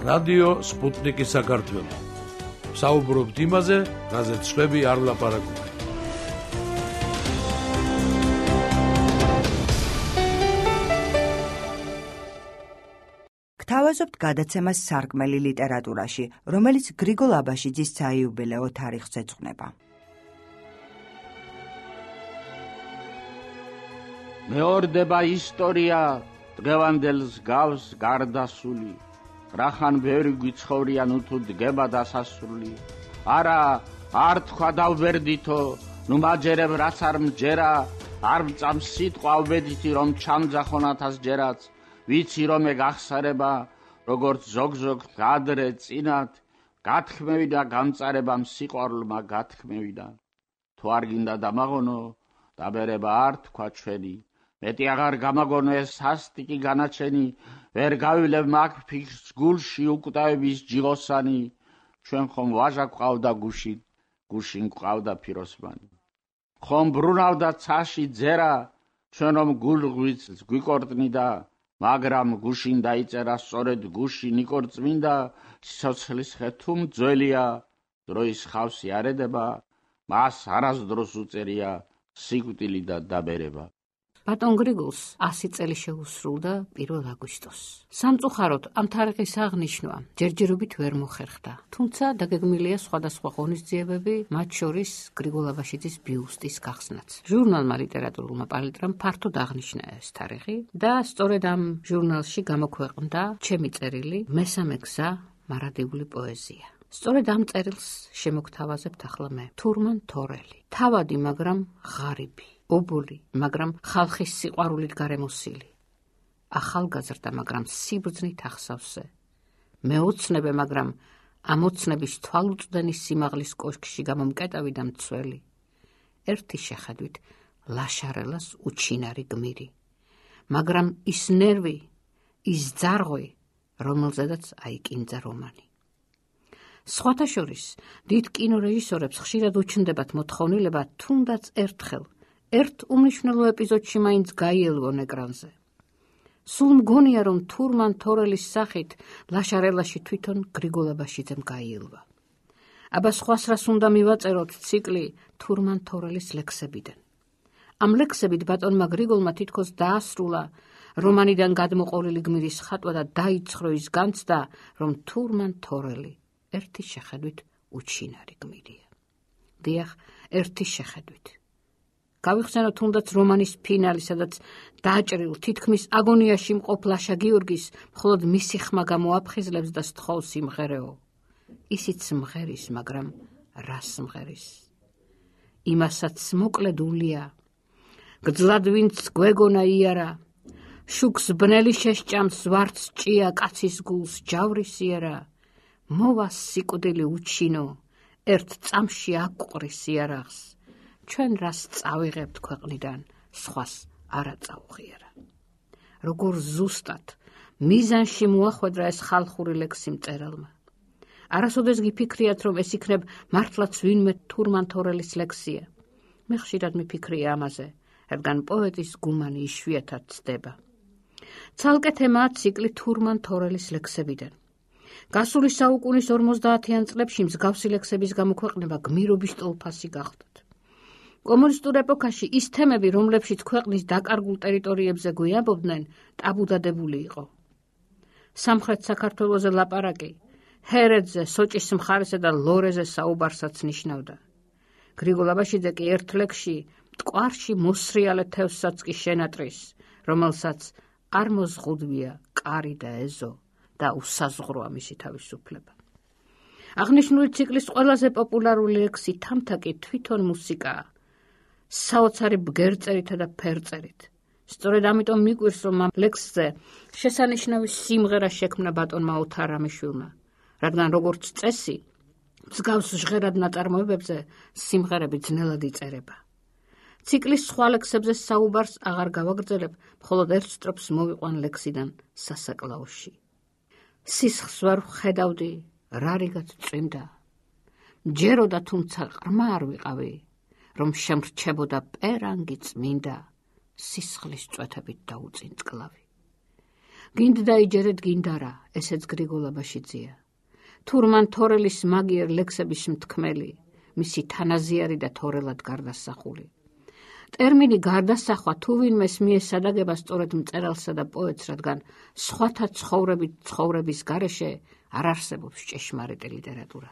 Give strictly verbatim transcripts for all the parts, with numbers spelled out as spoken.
რადიო სპუტნიკი საქართველო. საუბრობთ იმაზე, რაზეც სხვები არ ლაპარაკობენ. გთავაზობთ გადაცემას სარკმელი ლიტერატურაში, რომელიც გრიგოლ აბაშიძის საიუბილეო თარიღს ეძღვნება. მეორდება ისტორია დღევანდელს გავს გარდასული. რახან ბევრი გვიცხოვრიან უთუ დგება დასასრული. არა, არ თქვა დავბერდითო, ნუ მაჯერებ რაც არ მჯერა, არ მწამს სიტყვა უბედითი რომ ჩამძახონათას ჯერაც. ვიცი რომ ეგ ახსარება, როგორც ზოგ-ზოგ გადრე წინათ, გათქმევიდა გამწარებამ სიყვარულმა გათქმევიდა. თუ არ გინდა დამაღონო, დაბერება არ თქვა ჩვენი. მეტი აღარ გამაგონო ეს სასტიკი განაჩენი, ვერ გავილებ მაგ ფიქრს გულში უკვდავების ჯიღოსანი. ჩვენ ხომ ვაჟა გვყავდა გუშინ, გუშინ გვყავდა ფიროსმანი. ხომ ბრუნავდა ცაში ძერა, ჩვენ რომ გულღვიც გვიკორტნიდა, მაგრამ გუშინ დაიწერა სწორედ გუშინ იკორწმინდა. სიცოცხლის ხე თუ მძველია, დროის ხავსი არ ედება, მას არასდროს უწერია სიკვდილი და დაბერება. ბატონ გრიგოლს ასი წელი შეუსრულდა პირველ აგვისტოს. სამწუხაროდ ამ თარიღის აღნიშვნა ჯერჯერობით ვერ მოხერხდა, თუმცა დაგეგმილია სხვადასხვა ღონისძიებები, მათ შორის გრიგოლ აბაშიძის ბიუსტის გახსნაც. ჟურნალმა ლიტერატურულმა პალიტრამ ფართოდ აღნიშნა ეს თარიღი და სწორედ ამ ჟურნალში გამოქვეყნდა ჩემი წერილი მესამე გზა მარადიული პოეზია. სწორედ ამ წერილს შემოგთავაზებთ ახლა მე. თურმან თორელი. თავადი, მაგრამ ღარიბი. ობოლი, მაგრამ ხალხის სიყვარულით გარემოსილი. ახალგაზრდა, მაგრამ სიბრძნით ახსავსე. მეოცნებე, მაგრამ ამოცნების თვალუწვდენის სიმაღლის კოშკში გამომკეტავი და მცველი. ერთი შეხედვით ლაშარელას უჩინარი გმირი. მაგრამ ის ნერვი, ის ძარღვი, რომელზედაც აიკინძა რომანი. სხვათა შორის, დიდ კინორეჟისორებს ხშირად უჩნდებათ მოთხოვნილება თუნდაც ერთხელ ერთ უმნიშვნელო ეპიზოდში მაინც გაიელვონ ეკრანზე. სულ მგონია, რომ თურმან თორელის სახით ლაშარელაში თვითონ გრიგოლ აბაშიძემ გაიელვა. აბა სხვას რას უნდა მივაწეროთ ციკლი თურმან თორელის ლექსებიდან. ამ ლექსებით ბატონმა გრიგოლმა თითქოს დაასრულა რომანიდან გადმოყოლილი გმირის ხატვა და დაიცხრო ის განცდა, რომ თურმან თორელი ერთი შეხედვით უჩინარი გმირია. დიახ, ერთი შეხედვით. გავიხსენოთ თუნდაც რომანის ფინალი, სადაც დაჭრილ თითქმის აგონიაში მყოფ ლაშა გიორგის მხოლოდ მისი ხმა გამოაფხიზლებს და სთხოვს სიმღერეო. ისიც მღერის, მაგრამ რას მღერის? იმასაც მოკლედულია. გძლად ვინც გვეგონა იარა, შუქს ბნელი შეშჭამს ვარც ჭია კაცის გულს ჯავრისიერა. მოვა სიკვდილი უჩინო, ერთ წამში აკვყრის იარაღს. ჩვენ რას წავიღებთ ქვეყნიდან, სხვას არა წაუღიარა. როგორ ზუსტად, მიზანში მოახვედრა ეს ხალხური ლექსი მწერალმა. არასოდეს გიფიქრიათ, რომ ეს იქნებ მართლაც ვინმე თურმან თორელის ლექსია. მე ხშირად მიფიქრია ამაზე, რადგან პოეტის გუმანი იშვიათად ცდება. ცალკე თემაა ციკლი თურმან თორელის ლექსებიდან. გასული საუკუნის ორმოცდაათიან წლებში მსგავსი ლექსების გამოქვეყნება გმირობის ტოლფასი გახდათ. კომუნისტურ ეპოქაში ის თემები, რომლებშიც ქვეყნის დაკარგულ ტერიტორიებზე გვიამბობდნენ, ტაბუდადებული იყო. სამხრეთ საქართველოზე ლაპარაკი, ჰერეთზე, სოჭის მხარესა და ლორეზე საუბარსაც ნიშნავდა. გრიგოლ აბაშიძე კი ერთ ლექსში მტკვარში მოსრიალე თევზსაც კი შენატრის, რომელსაც არ მოზღუდვია კარი და ეზო და უსაზღვროა მისი თავისუფლება. აღნიშნული ციკლის ყველაზე პოპულარული ლექსი თამთაკი თვითონ მუსიკაა, საოცარი ბგერწერითა და ფერწერით. სწორედ ამიტომ მიკვირს, რომ ამ ლექსზე შესანიშნავი სიმღერა შექმნა ბატონმა ოთარ რამიშვილმა, რადგან როგორც წესი, მსგავს ჟღერად ნაწარმოებებზე სიმღერები ძნელად იწერება. ციკლის სხვა ლექსებზე საუბარს აღარ გავაგრძელებ, მხოლოდ ერთ სტროფს მოვიყვან ლექსიდან სასაკლაოში. სისხლს ვერ ვხედავდი, რარიგად წვიმდა. ჯეროდა, თუმცა ყრმა არ ვიყავი, რომ შემრჩებოდა პერანგი წმინდა, სისხლის წვეთებით დაუწინწკლავი. გინდ დაიჯერეთ გინდარა, ესეც გრიგოლ აბაშიძეა. თურმან თორელის მაგიერ ლექსების მთქმელი, მისი თანაზიარი და თორელად გარდასახული. ტერმინი გარდასახვა თუ ვინმეს მიესადაგება სწორედ მწერალსა და პოეტს, რადგან სხვათა ცხოვრებით ცხოვრების გარეშე არ არსებობს ჭეშმარიტი ლიტერატურა.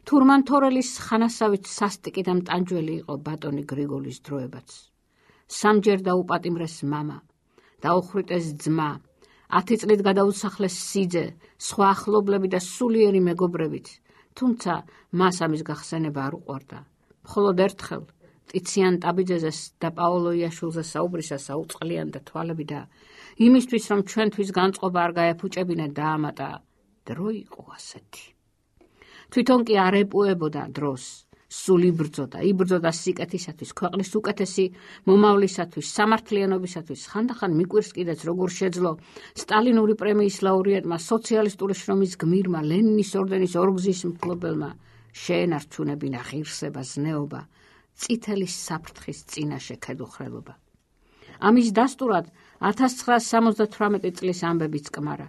თურმან თორელის ხანასავით სასტიკი და მტანჯველი იყო ბატონი გრიგოლის დროებაც. სამჯერ დაუპატიმრეს მამა, დაუხრიტეს ძმა, ათი წლით გადაუსახლეს სიძე, სხვა ახლობლები და სულიერი მეგობრებით, თუმცა მას ამის გახსენება არ უყვარდა. მხოლოდ ერთხელ ტიციან ტაბიძეზეს და პაოლო იაშვილზე საუბრისას აუწყლიანდა თვალები და იმისთვის, რომ ჩვენთვის განწყობა არ გაეფუჭებინა, დაამატა, დრო იყო ასეთი. თვითონ კი არ ეპუებოდა დროს, სულ იბრძოდა, იბრძოდა სიკეთისათვის, ქვეყნის უკეთესი მომავლისათვის, სამართლიანობისათვის, ხანდახან მიკვირს კიდეც როგორ შეძლო სტალინური პრემიის ლაურეატმა, სოციალისტური შრომის გმირმა, ლენინის ორდენის ორგზის მფლობელმა შეენარჩუნებინა ღირსება, ზნეობა, წითელი საფრთხის წინაშე ქედუხრელობა. ამის დასტურად ათას ცხრაას სამოცდათვრამეტი წლის ამბებიც კმარა.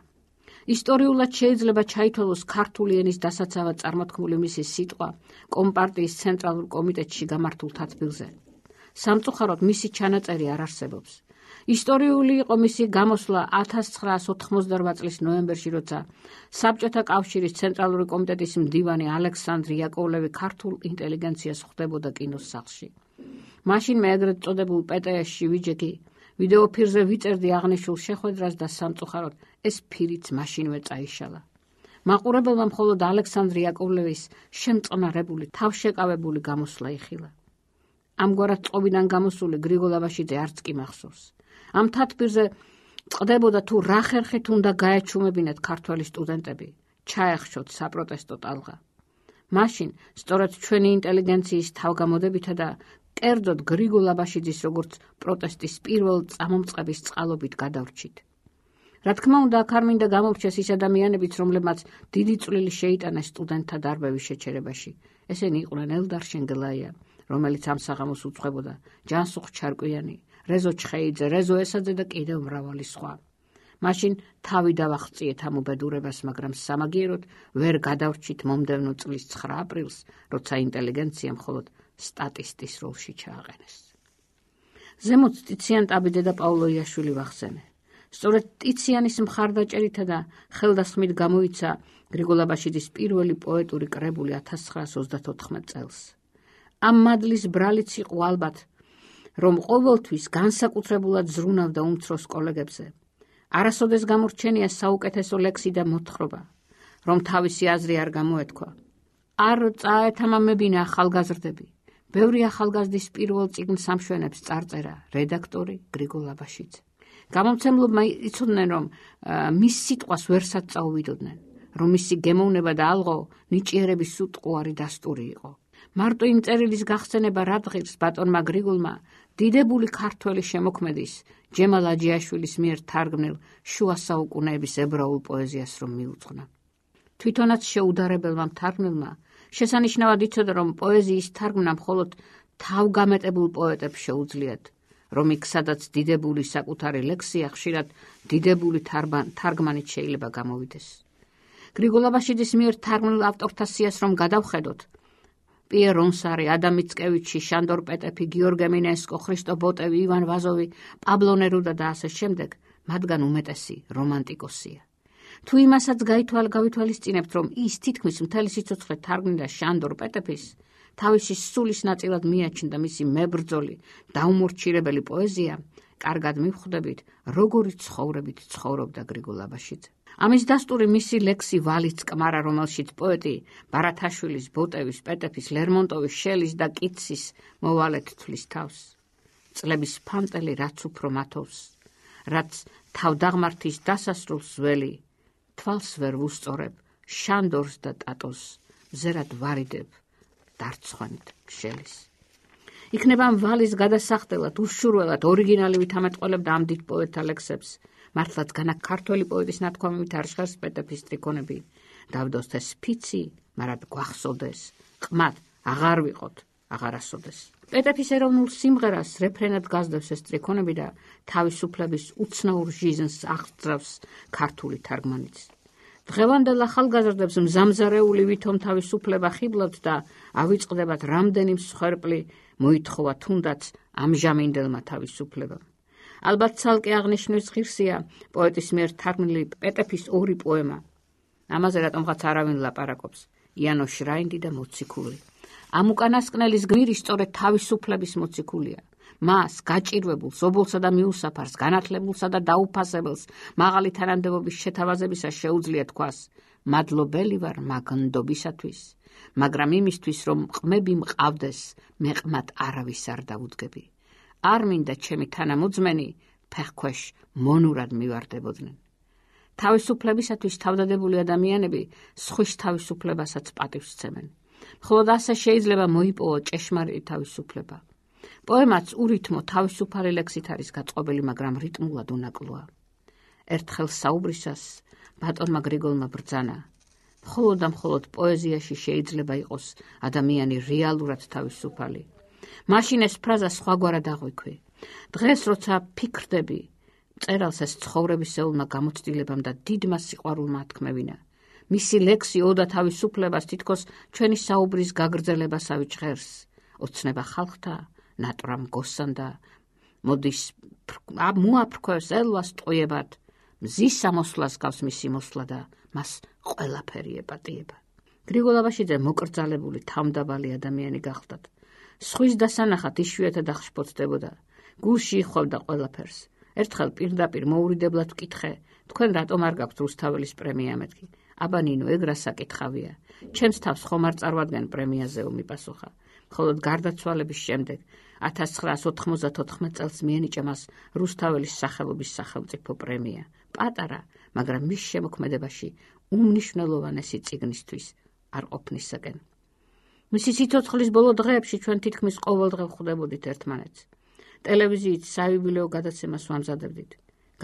ისტორიულად შეიძლება ჩაითვალოს ქართული ენის დასაცავად წარმოთქმული მისი სიტყვა კომპარტიის ცენტრალურ კომიტეტში გამართულ თათბილზე. სამწუხაროდ მისი ჩანაწერი არ არსებობს. ისტორიული იყო მისი გამოსვლა ათას ცხრაას ოთხმოცდარვა წლის ნოემბერში, როცა საბჭოთა კავშირის ცენტრალური კომიტეტის მდივანი ალექსანდრე იაკოვლევი ქართულ ინტელიგენციას ხვდებოდა კინოს სახლში. მაშინ მე ეგრეთ წოდებულ პე ტე ეს-ში ვიჯექი, ვიდეოფირზე ვიწერდი აღნიშნულ შეხვედრას და სამწუხაროდ ეს ფირიც მაშინვე წაიშალა. მაყურებელმა მხოლოდ ალექსანდრე იაკოვლევის შემწყნარებული, თავშეკავებული გამოსვლა იხილა. ამგვარად წყობიდან გამოსული გრიგოლ აბაშიძე არც კი მახსოვს. ამ თათბირზე წყდებოდა თუ რა ხერხით უნდა გაეჩუმებინათ ქართველი სტუდენტები, ჩაეხშოთ საპროტესტო ტალღა. მაშინ სწორედ ჩვენი ინტელიგენციის თავგამოდებითა და კერძოდ გრიგოლ აბაშიძის როგორც პროტესტის პირველ წამომწყების წყალობით გადავრჩით. რა თქმა უნდა, აქ არ მინდა გამორჩეს ის ადამიანებიც, რომლებმაც დიდი წვლილი შეიტანეს სტუდენტთა დარბევის შეჩერებაში. ესენი იყვნენ ელდარ შენგელაია, რომელიც ამ საღამოს უძღვებოდა, ჯანსუღ ჩარკვიანი, რეზო ჩხეიძე, რეზო ესაძე და კიდევ მრავალი სხვა. მაშინ თავი დავახწიეთ ამ უბედურებას, მაგრამ სამაგიეროდ ვერ გადავრჩით მომდევნო წლის ცხრა აპრილს, როცა ინტელიგენცია მხოლოდ სტატისტის როლში ჩააყენეს. ზემოთ ტიციან ტაბიძე და პაოლო იაშვილი ვახსენე. სწორედ ტიციანის მხარდაჭერითა და ხელდასხმით გამოიცა გრიგოლ აბაშიძის პირველი პოეტური კრებული ათას ცხრაას ოცდათოთხმეტ წელს. ამ მადლის ბრალიც იყო ალბათ, რომ ყოველთვის განსაკუთრებულად ზრუნავდა უმცროს კოლეგებზე. არასოდეს გამორჩენია საუკეთესო ლექსი და მოთხრობა, რომ თავისი აზრი არ გამოეთქვა. არ წაეთამამებინა ახალგაზრდები. ბევრი ახალგაზრდის პირველ წიგნს ამშვენებს წარწერა რედაქტორი გრიგოლ აბაშიძე. გამომცემლობმა იცოდნენ, რომ მის სიტყვას ვერსად წაუვიდოდნენ, რომ მისი გემოვნება და ალღო ნიჭიერების უტყუარი დასტური იყო. მარტო იმ წერილის გახსენება რადღირს ბატონმა გრიგოლმა დიდებული ქართველი შემოქმედის ჯემალ აჯიაშვილის მიერ თარგმნილ შუა საუკუნეების ებრაულ პოეზიას რომ მიუძღვნა. თვითონაც შეუდარებელმა მთარგმნელმა შესანიშნავად იცოდა, რომ პოეზიის თარგმნა მხოლოდ თავგამეტებულ პოეტებს შეუძლიათ, რომ იქ სადაც დიდებული საკუთარი ლექსია, ხშირად დიდებული თარგმანით შეიძლება გამოვიდეს. გრიგოლ აბაშიძის მიერ თარგმნილ ავტორთა სიას რომ გადავხედოთ, პიერ რონსარი, ადამ მიცკევიჩი, შანდორ პეტეფი, გიორგე მინესკო, ხრისტო ბოტევი, ივან ვაზოვი, პაბლო ნერუდა და ასე შემდეგ, მათგან უმეტესი რომანტიკოსია. თუ იმასაც გავითვალისწინებთ, რომ ის თითქმის მთელი სიცოცხლე თარგმნიდა შანდორ პეტეფის, თავისი სულის ნაწილად მიაჩნდა მისი მებრძოლი, დაუმორჩილებელი პოეზია, კარგად მივხვდებით, როგორი ცხოვრებით ცხოვრობდა გრიგოლ აბაშიძე. ამის დასტური მისი ლექსი ვალიც კმარა, რომელშიც პოეტი ბარათაშვილის, ბოტევის, პეტეფის, ლერმონტოვის, შელის და კიცის მოვალეთ თვლის თავს. წლების ფანტელი რაც უფრო მათობს, რაც თავდაღმართის დასასრულს ველი, თვალს ვერ ვუსწორებ, შანდორს და ტატოს, ზერად ვარიდებ, დარცხვანით შელის. იქნება ვალის გადასახდელად, უშურველად, ორიგინალი ვითამეტყველებდა ამ დიდ პოეტთა ლექსებს, მართლაც განა ქართველი პოეტის ნათქვამებით არ ჟღერს პეტეფის ტრიქონები, დავდოსთეს ფიცი, მარად გვახსოვდეს, ყმად აღარ ვიყოთ, აღარასოდეს. პეტეფის ეროვნულ სიმღერას რეფრენად გასდევს ეს სტრიქონები და თავისუფლების უცნაურ ჟიზნს აღწევს ქართული თარგმანიც. დღევანდელ ახალგაზრდებს მზამზარეული ვითომ თავისუფლება ხიბლავთ და ავიწყდებათ რამდენი მსხვერპლი მოითხოვა თუნდაც ამჟამინდელმა თავისუფლებამ. ალბათ ცალკე აღნიშნვის ღირსია პოეტის მიერ თარგმნილი პეტეფის ორი პოემა. ამაზე რატომღაც არავინ ლაპარაკობს. იანო შრაინდი და მოციქული. ამ უკანასკნელის გმირი სწორედ თავისუფლების მოციქულია. მას გაჭირვებულს, ობოლსა და მიუსაფარს, განათლებულსა და დაუფასებელს მაღალი თანამდებობის შეთავაზებისას შეუძლია თქვას: მადლობელი ვარ მაგნდობისათვის, მაგრამ იმისთვის, რომ ყმები მყავდეს, მე ყმად არავის არ დავუდგები. არ მინდა ჩემი თანამოძმენი ფეხქვეშ მონურად მივარდებოდნენ. თავისუფლებისათვის თავდადებული ადამიანები სხვის თავისუფლებასაც პატივს სცემენ. მხოლოდ ასე შეიძლება მოიპოვო ჭეშმარიტი თავისუფლება. პოემაც ურითმო თავისუფალი ლექსით არის გაწყობილი, მაგრამ რიტმულად უნაკლოა. ერთხელ საუბრისას ბატონმა გრიგოლმა ბრძანა: მხოლოდ და მხოლოდ პოეზიაში შეიძლება იყოს ადამიანი რეალურად თავისუფალი. მაშინ ეს ფრაზა სხვაგვარად აღვიქვი. დღეს როცა ფიქრდები, მწერალს ეს ცხოვრებისეულმა გამოცდილებამ და დიდმა სიყვარულმა ათქმევინა. მისი ლექსი ოდა თავისუფლებას თითქოს ჩვენი საუბრის გაგრძელებას ავიჭღერს. ოცნება ხალხთა, ნატრამ გოსანდა, მოდის მოაფრქვევს ელვას ტყუებად, მზის ამოსვლას გავს მისი მოსვლა და მას ყველაფერი ეპატიება. გრიგოლ აბაშიძე მოკრძალებული თავმდაბალი ადამიანი გახლდათ. სხვის დასანახად იშვიათად აღშფოთდებოდა. გულში იხოვდა ყველაფერს. ერთხელ პირდაპირ მოურიდებლად ვკითხე: თქვენ რატომ არ გაქვთ რუსთაველის პრემია? მეთქი: აბა ნინო, ეგ რა საკითხავია? ჩემს თავს ხომ არ წარვადგენ პრემიაზე? მიპასუხა. მხოლოდ გარდაცვალების შემდეგ ათას ცხრაას ოთხმოცდათოთხმეტ წელს მიენიჭა მას რუსთაველის სახელობის სახელმწიფო პრემია. პატარა, მაგრამ მის შემოქმედებაში უმნიშვნელოვანესი წიგნისთვის არ ყოფნისაკენ. მისი სიცოცხლის ბოლო დღეებში ჩვენ თითქმის ყოველდღე ვხვდებოდით ერთმანეთს. ტელევიზიით საიუბილეო გადაცემას ვამზადებდით.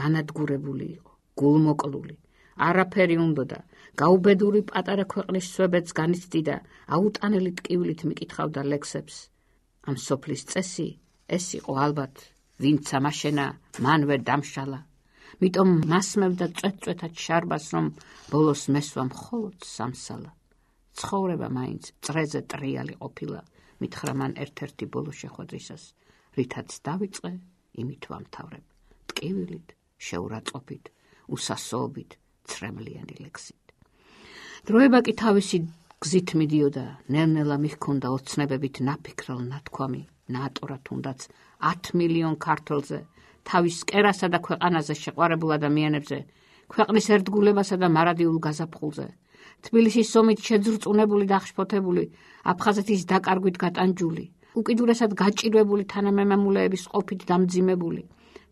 განადგურებული იყო, გულმოკლული. არაფერი უნდოდა, გაუბედური პატარა ქვეყნის სვებეთს განიცდიდა, აუტანელი ტკივილით მიკითხავდა ლექსებს. ამ სოფლის წესი ეს იყო ალბათ, ვინც ამაშენა, მან ვერ დამშალა. მიტომ მასმევდა წვეთ-წვეთად შარბას, რომ ბოლოს მესვა მხოლოდ სამსალა. ცხოვრება მაინც წრეზე ტრიალი ყოფილა, მითხრა მან ერთ-ერთი ბოლო შეხვედრისას. რითაც დავიწყე, იმით ვამთავრებ. ტკივილით, შეურაცხყოფით, უსასოობით, ცრემლიანი ლექსით. დროება კი თავისი გზით მიდიოდა, ნელ-ნელა მიჰქონდა ოცნებებით ნაფიქრალ ნათქვამი, ნაატორა თუნდაც ათ მილიონ ქართველზე, თავის კერასა და ქვეყანაზე შეყვარებულ ადამიანებზე, ქვეყნის ერთგულებასა და მარადიულ გაზაფხულზე, თბილისის ომით შეძრწუნებული და აღშფოთებული, აფხაზეთის დაკარგვით გატანჯული, უკიდურესად გაჭირვებული თანამემამულეების ყოფით დამძიმებული,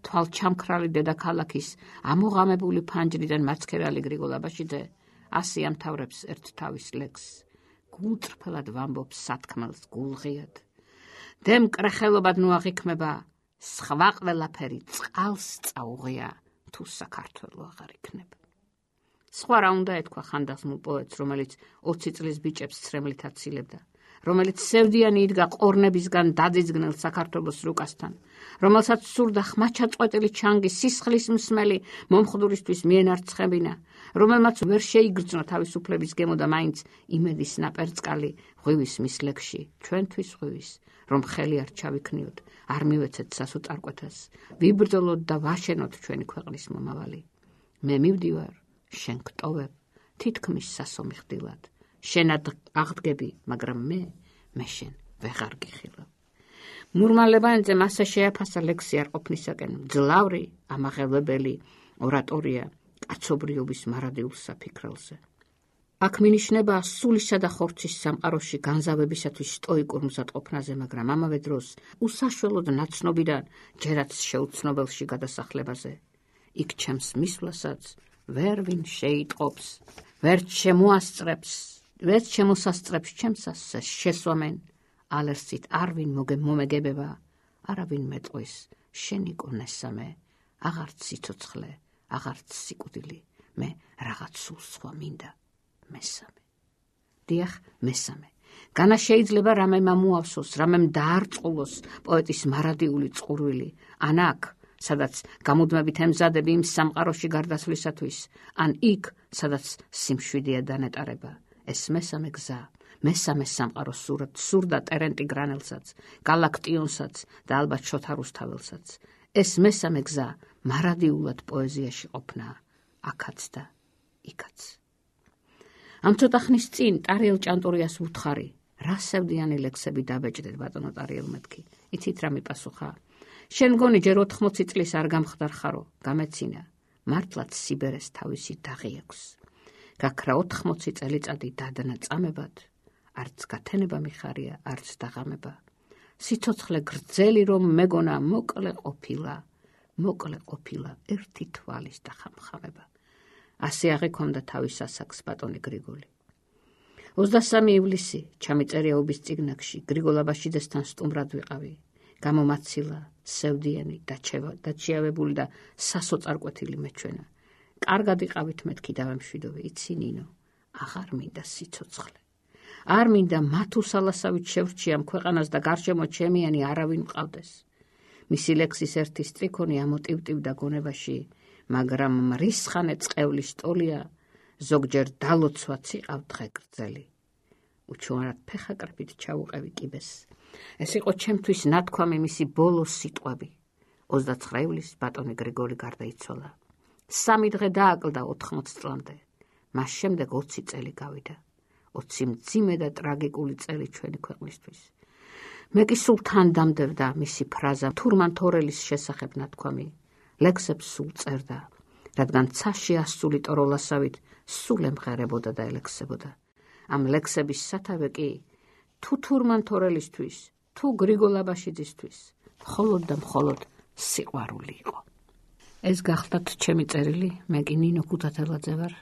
თვალჩამქრალი დედაქალაქის ამოღამებული ფანჯრიდან მაცქერალი გრიგოლ აბაშიძე ასე ამთავრებს ერთ თავის ლექსს. გულწრფელად ვამბობს სათქმელს გულღიად. დემ კრეხელობად ნუ აღიქმება, სხვა ყველაფერი წყალს წაუღია, თუ საქართველო აღარ იქნება. სხვა რა უნდა ეთქვა ხანდახმულ პოეტს, რომელიც ოცი წლის ბიჭებს ცრემლით აცილებდა, რომელიც სევდიანი იდგა ყორნებისგან დაძიძგნელ საქართველოს რუკასთან, რომელსაც სურდა ხმაჩაწყვეტილი ჩანგი სისხლის მსმელი მომხდურისთვის მიენარცხებინა, რომელმაც ვერ შეიგრძნო თავისუფლების გემო და მაინც იმედის ნაპერწკალი ღვივის მის ლექსში, ჩვენთვის ღვივის, რომ ხელი არ ჩავიქნიოთ, არ მივეცეთ სასუტარკვეთას, ვიბრძოლოთ და ვაშენოთ ჩვენი ქვეყნის მომავალი. მე მივდივარ, შენ გტოვებ, თითქმის სასომი ხდილად. შენად აღდგები, მაგრამ მე, მე შენ ვეღარ გიხილავ. მურმალებანიძე მასე შეაფასა ლექსი არ ყოფნისაკენ, მძლავრი, ამაღელვებელი ორატორია კაცობრიობის მარადილ საფიქრელზე. აქ მინიშნება სულისა და ხორცის სამყაროში განზავებისათვის სტოიკურ მზადყოფნაზე, მაგრამ ამავე დროს უსაშველოდ ნაცნობიდან ჯერაც შეუცნობელში გადასახლებაზე. იქ ჩემს მისვლასაც ვერ ვინ შეიტყობს, ვერ შემოასწრებს, ვერ შემოსასწრებს ჩემსას შესვამენ, ალერსით არვინ მომეგებება, არავინ მეტყვის, შენი კონესამე, აღარც სიცოცხლე, აღარც სიკვდილი, მე რაღაც სულ სხვა მინდა, მესამე. დიახ, მესამე. განა შეიძლება რამე მომავსოს, რამემ დაარწყულოს პოეტის მარადიული წყურვილი, ან აქ, სადაც გამუდმებით ემზადები იმ სამყაროში გარდაცვლისათვის, ან იქ, სადაც სიმშვიდეა დანეტარება. ეს მესამე გზა, მესამე სამყარო სურდა ტერენტი გრანელსაც, გალაქტიონსაც და ალბათ შოთა რუსთაველსაც. ეს მესამე გზა მარადიულად პოეზიაში ყოფნა, აქაც და იქაც. ამ ცოტა ხნის წინ ტარიელ ჭანტურიას ვუთხარი, რა სევდიანი ლექსები დაბეჭდეთ ბატონო ტარიელ მეთქი. იცით რა მიპასუხა? შენ გონი ჯერ ოთხმოცი წლის არ გამხდარ ხარო, გამეცინა, მართლაც სიბერეს თავისი დაღი აქვს. გაქრა ოთხმოცი წელიწადი დადნა წამებად, არც გათენება მიხარია, არც დაღამება. სიცოცხლე გრძელი რომ მეგონა მოკლე ყოფილა, მოკლე ყოფილა ერთი თვალის დახამხამება. ასე აღიქონდა თავის ასაკს ბატონი გრიგოლი. ოცდასამი ივლისი ჩამიწერია უბის წიგნაკში, გრიგოლ აბაშიძესთან სტუმრად ვიყავი. გამომაცილა, სევდიანი, დაჩიავებული და სასოწარკვეთილი მეჩვენა. კარგად იყავით მეთქი დავემშვიდობე, იცი ნინო, აღარ მინდა სიცოცხლე. არ მინდა მათუსალასავით შევრჩიამ ქვეყანას და გარშემო ჩემიანი არავინ მყავდეს. მისი ლექსის ერთი სტრიქონი ამოტივტივდა გონებაში, მაგრამ მრისხანე წყევლის ტოლია, ზოგჯერ დალოცვაც იყავ დღე გრძელი. უჩვენად ფეხაკრებით ჩაუყევი კიბეს. ეს იყო ჩემთვის ნათქვამი მისი ბოლო სიტყვები. ოცდაცხრა ივლისს ბატონი გრიგოლი გარდაიცვალა. სამი დღე დააკლდა ოთხმოც წლამდე. მას შემდეგ ოცი წელი გავიდა. ოცი მძიმე და ტრაგიკული წელი ჩვენი ქვეყნისთვის. მე კი სულ თან დამდებდა მისი ფრაზა თურმანთორელის შესახებ ნათქვამი. ლექსებს სულ წერდა, რადგან ცაში ასული ტოროლასავით სულ ემღერებოდა და ელექსებოდა. ამ ლექსების სათავე კი თუ თურმანთორელისთვის, თუ გრიგოლ აბაშიძისთვის, მხოლოდ და მხოლოდ სიყვარული იყო. ეს გახლდათ ჩემი წერილი, მე კი ნინო ქუთათელაძე ვარ